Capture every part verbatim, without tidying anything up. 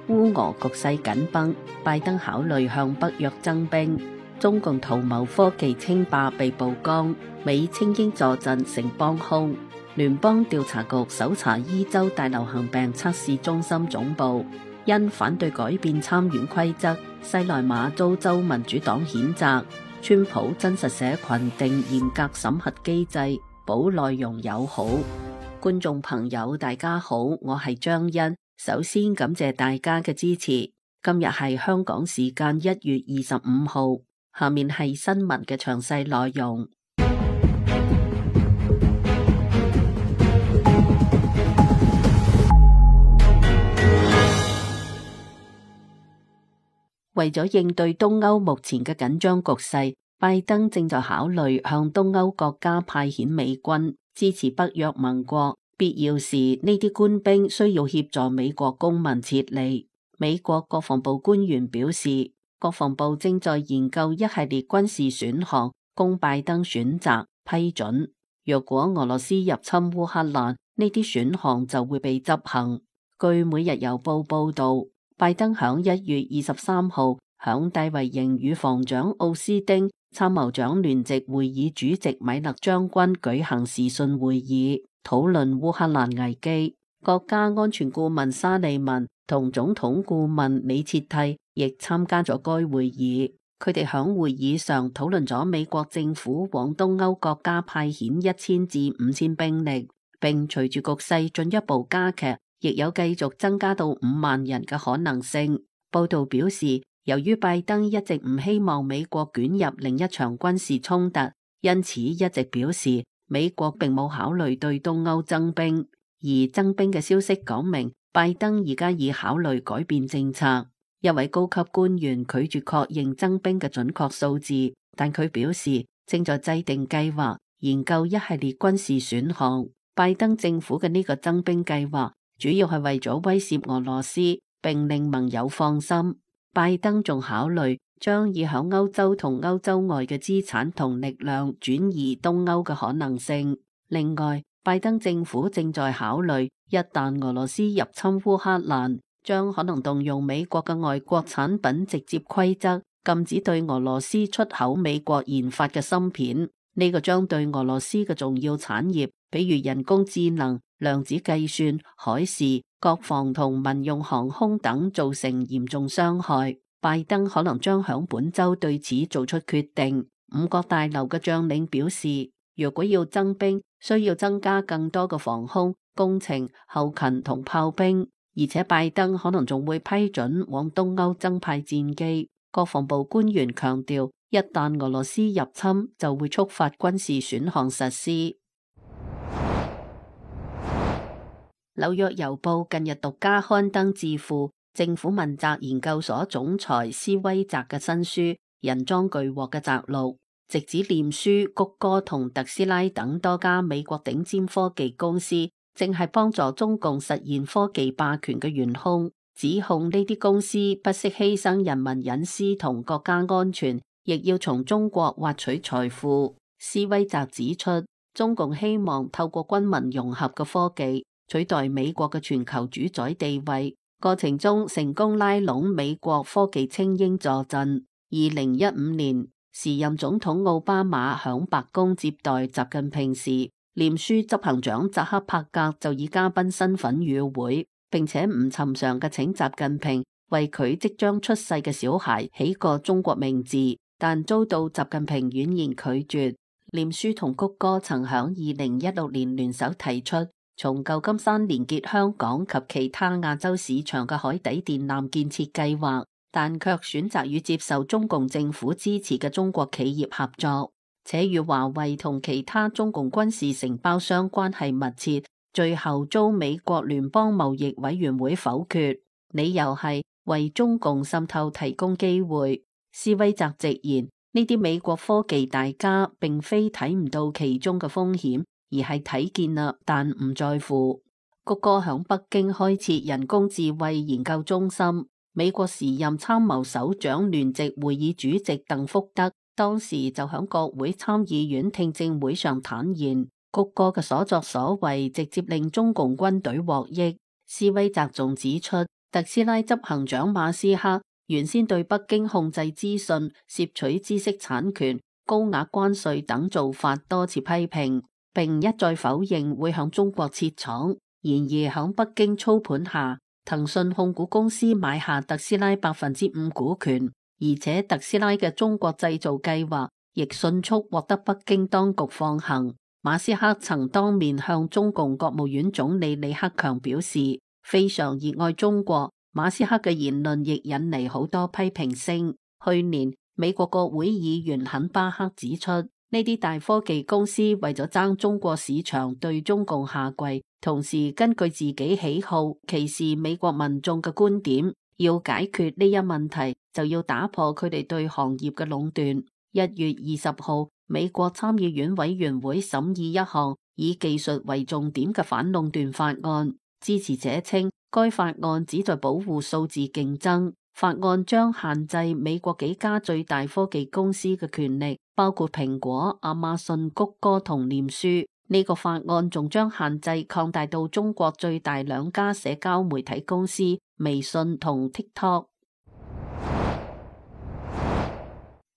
烏俄局勢緊繃，拜登考慮向北約增兵。中共圖謀科技稱霸被曝光，美清英坐鎮成幫兇。聯邦調查局搜查伊州大流行病測試中心總部，因反對改變參選規則，西內馬遭州民主黨譴責。川普真實社群定嚴格審核機制，保內容友好。觀眾朋友大家好，我係張欣，首先感謝大家嘅支持。今日係香港時間一月二十五號，下面係新聞嘅詳細內容。為咗應對東歐目前嘅緊張局勢，拜登正在考慮向東歐國家派遣美軍，支持北約盟國。必要時，呢啲官兵需要協助美國公民撤離。美國國防部官員表示，國防部正在研究一系列軍事選項，供拜登選擇批准。若果俄羅斯入侵烏克蘭，呢啲選項就會被執行。據每日郵報報道，拜登響一月二十三號響大衛營與防長奧斯丁、參謀長聯席會議主席米勒將軍舉行視訊會議，討論烏克蘭危機。國家安全顧問沙利文同總統顧問李切蒂亦參加咗該會議。佢哋響會議上討論咗美國政府往東歐國家派遣一千至五千兵力，並隨住局勢進一步加劇，亦有繼續增加到五萬人嘅可能性。報道表示，由於拜登一直唔希望美國捲入另一場軍事衝突，因此一直表示美國並冇考慮對東歐增兵。而增兵嘅消息講明，拜登而家已考慮改變政策。一位高級官員拒絕確認增兵嘅準確數字，但佢表示正在制定計劃，研究一系列軍事選項。拜登政府嘅呢個增兵計劃主要係為咗威懾俄羅斯，並令盟友放心。拜登仲考慮將以響歐洲同歐洲外嘅資產同力量轉移東歐嘅可能性。另外，拜登政府正在考慮，一旦俄羅斯入侵烏克蘭，將可能動用美國嘅外國產品直接規則，禁止對俄羅斯出口美國研發嘅芯片。呢個將對俄羅斯嘅重要產業，比如人工智能、量子計算、海事、國防同民用航空等造成嚴重傷害。拜登可能將響本周對此做出決定。五角大樓嘅將領表示，如果要增兵，需要增加更多嘅防空、工程、後勤同炮兵，而且拜登可能仲會批准往東歐增派戰機。國防部官員強調，一旦俄羅斯入侵，就會觸發軍事選項實施。紐約郵報近日獨家刊登智庫政府問責研究所總裁施威澤嘅新書《人贓俱獲》嘅摘錄，直指臉書、谷歌同特斯拉等多家美國頂尖科技公司正係幫助中共實現科技霸權嘅元兇，指控呢啲公司不惜犧牲人民隱私同國家安全，亦要從中國挖取財富。施威澤指出，中共希望透過軍民融合嘅科技取代美國嘅全球主宰地位，過程中成功拉攏美國科技精英坐鎮。二零一五年，時任總統奧巴馬響白宮接待習近平時，臉書執行長扎克伯格就以嘉賓身份與會，並且唔尋常嘅請習近平為佢即將出世嘅小孩起個中國名字，但遭到習近平婉言拒絕。臉書同谷歌曾響二零一六年聯手提出從舊金山連結香港及其他亞洲市場嘅海底電纜建設計劃，但卻選擇與接受中共政府支持嘅中國企業合作，且與華為同其他中共軍事承包商關係密切，最後遭美國聯邦貿易委員會否決，理由係為中共滲透提供機會。施威澤直言，呢啲美國科技大家並非睇唔到其中嘅風險，而係睇見啦，但唔在乎。谷歌響北京開設人工智慧研究中心。美國時任參謀首長聯席會議主席鄧福德當時就響國會參議院聽證會上坦言，谷歌嘅所作所為直接令中共軍隊獲益。施威澤仲指出，特斯拉執行長馬斯克原先對北京控制資訊、竊取知識產權、高額關稅等做法多次批評，並一再否認會向中國設廠。然而響北京操盤下，騰訊控股公司買下特斯拉百分之五股權，而且特斯拉嘅中國製造計劃亦迅速獲得北京當局放行。馬斯克曾當面向中共國務院總理李克強表示非常熱愛中國。馬斯克嘅言論亦引嚟好多批評聲。去年美國國會議員肯巴克指出，呢啲大科技公司為咗爭中國市場對中共下跪，同時根據自己喜好歧視美國民眾嘅觀點。要解決呢一問題，就要打破佢哋對行業嘅壟斷。一月二十號，美國參議院委員會審議一項以技術為重點嘅反壟斷法案。支持者稱，該法案旨在保護數字競爭。法案將限制美國幾家最大科技公司嘅權力，包括蘋果、亞馬遜、谷歌同臉書。呢、這個法案仲將限制擴大到中國最大兩家社交媒體公司微信同 TikTok。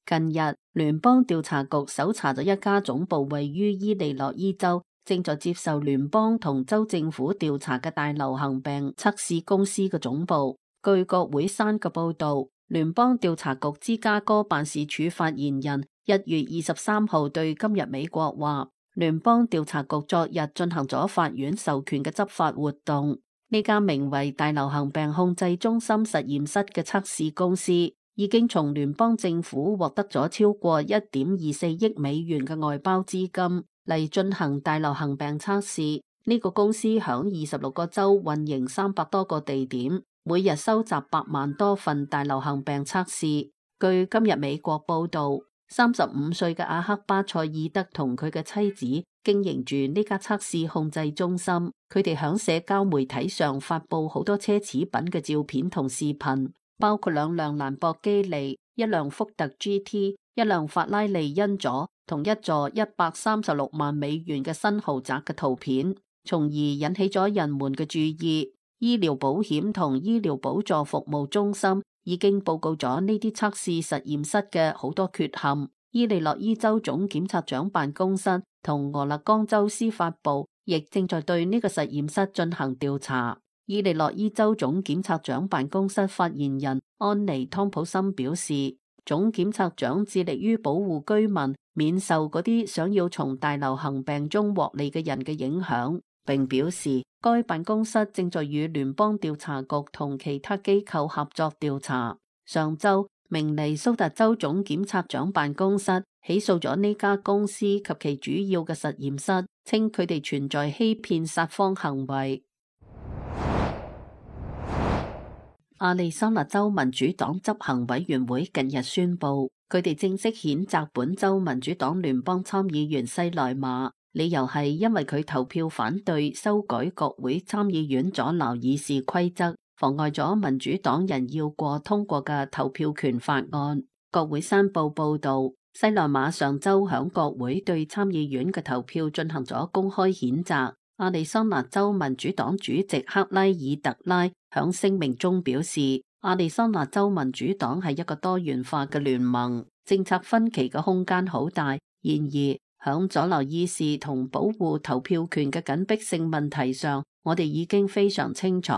近日，聯邦調查局搜查咗一家總部位於伊利諾伊州，正在接受聯邦同州政府調查嘅大流行病測試公司嘅總部。據國會山嘅報道，聯邦調查局芝加哥辦事處發言人一月二十三號對今日美國話，聯邦調查局昨日進行咗法院授權嘅執法活動。呢家名為大流行病控制中心實驗室嘅測試公司已經從聯邦政府獲得咗超過一點二四億美元嘅外包資金嚟進行大流行病測試。呢、這個公司響二十六個州運營三百多個地點，每日收集百萬多份大流行病測試。據今日美國報道，三十五歲嘅阿克巴塞爾德同佢嘅妻子經營住呢家測試控制中心。佢哋響社交媒體上發佈好多奢侈品嘅照片同視頻，包括兩輛蘭博基尼、一輛福特 G T、一輛法拉利恩佐同一座一百三十六萬美元嘅新豪宅嘅圖片，從而引起咗人們嘅注意。醫療保險同醫療補助服務中心已經報告咗呢啲測試實驗室嘅好多缺陷。伊利諾伊州總檢察長辦公室同俄勒岡州司法部亦正在對呢個實驗室進行調查。伊利諾伊州總檢察長辦公室發言人安妮湯普森表示，總檢察長致力於保護居民免受嗰啲想要從大流行病中獲利嘅人嘅影響，並表示該辦公室正在與聯邦調查局同其他機構合作調查。上周，明尼蘇達州總檢察長辦公室起訴咗呢家公司及其主要嘅實驗室，稱佢哋存在欺騙撒謊行為。亞利桑那州民主黨執行委員會近日宣布，佢哋正式譴責本州民主黨聯邦參議員西萊馬，理由係因為佢投票反對修改國會參議院阻撓議事規則，妨礙咗民主黨人要過通過嘅投票權法案。國會山報報道，西萊馬上周響國會對參議院嘅投票進行咗公開譴責。亞利桑那州民主黨主席克拉爾特拉響聲明中表示，亞利桑那州民主黨係一個多元化嘅聯盟，政策分歧嘅空間好大。然而，響阻撓議事同保護投票權嘅緊迫性問題上，我哋已經非常清楚。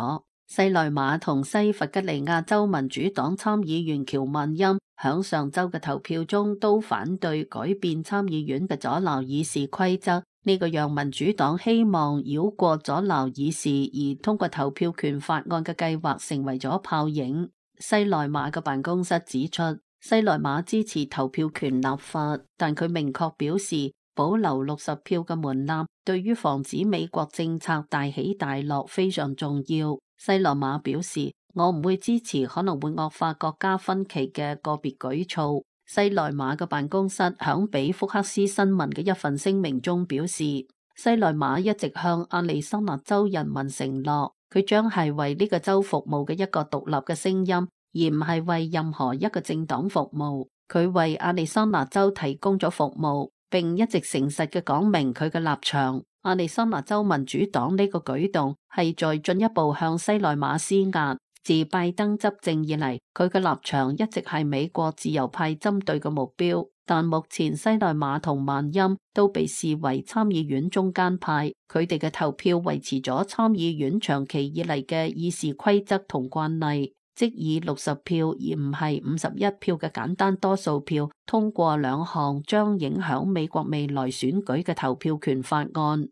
西萊馬同西弗吉尼亞州民主黨參議員喬曼欽響上周嘅投票中都反對改變參議院嘅阻撓議事規則。呢個讓民主黨希望繞過阻撓議事而通過投票權法案嘅計劃成為咗泡影。西萊馬嘅辦公室指出，西萊馬支持投票權立法，但佢明確表示保留六十票嘅門檻對於防止美國政策大起大落非常重要。西萊馬表示，我唔會支持可能會惡化國家分歧嘅個別舉措。西萊馬嘅辦公室響俾福克斯新聞嘅一份聲明中表示，西萊馬一直向亞利桑那州人民承諾，佢將係為呢個州服務嘅一個獨立嘅聲音，而唔係為任何一個政黨服務。佢為亞利桑那州提供咗服務，並一直誠實嘅講明佢嘅立場。亞利桑那州民主黨呢個舉動係在進一步向西萊馬施壓。自拜登執政以嚟，佢嘅立場一直係美國自由派針對嘅目標。但目前西內馬同萬欽都被視為參議院中間派，佢哋嘅投票維持咗參議院長期以嚟嘅議事規則同慣例，即以六十票而唔係五十一票嘅簡單多數票通過兩項將影響美國未來選舉嘅投票權法案。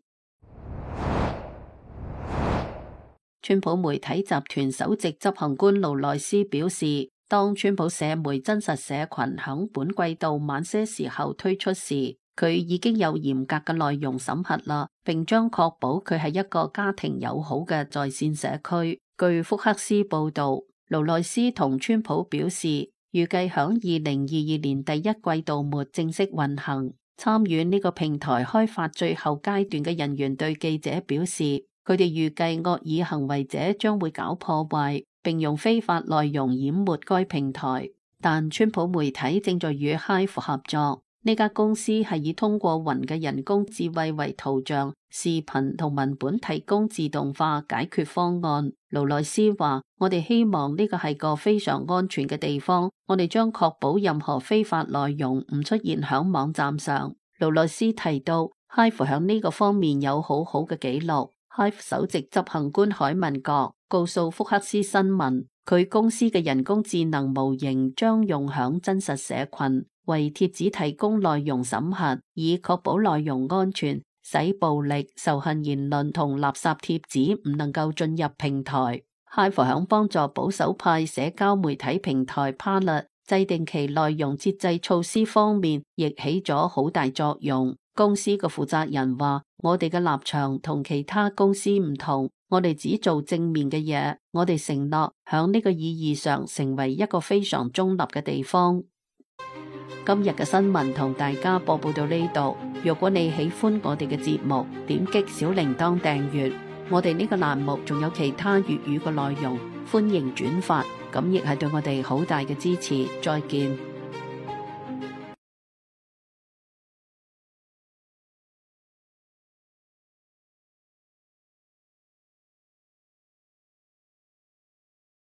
川普媒體集團首席執行官勞萊斯表示，當川普社媒真實社群響本季度晚些時候推出時，佢已經有嚴格嘅內容審核啦，並將確保佢係一個家庭友好嘅在線社區。據福克斯報道，勞萊斯同川普表示，預計響二零二二年第一季度末正式運行。參與呢個平台開發最後階段嘅人員對記者表示，佢哋預計惡意行為者將會搞破壞，並用非法內容淹沒該平台。但川普媒體正在與 Hive 合作，呢家公司係以通過雲嘅人工智慧為圖像、視頻同文本提供自動化解決方案。勞萊斯話：我哋希望呢個係個非常安全嘅地方，我哋將確保任何非法內容唔出現響網站上。勞萊斯提到 Hive 響呢個方面有好好嘅記錄。Hive 首席執行官海文格告訴福克斯新聞，佢公司嘅人工智能模型將用響真實社群，為貼紙提供內容審核，以確保內容安全，使暴力、仇恨言論同垃圾貼紙唔能夠進入平台。Hive 響幫助保守派社交媒體平台 Parler 制定其內容節制措施方面，亦起咗好大作用。公司嘅負責人話：我哋嘅立場同其他公司唔同，我哋只做正面嘅嘢，我哋承諾響呢個意義上成為一個非常中立嘅地方。今日嘅新聞同大家播報到呢度，如果你喜歡我哋嘅節目，點擊小鈴鐺訂閱。我哋呢個欄目仲有其他粵語嘅內容，歡迎轉發，咁亦係對我哋好大嘅支持。再見。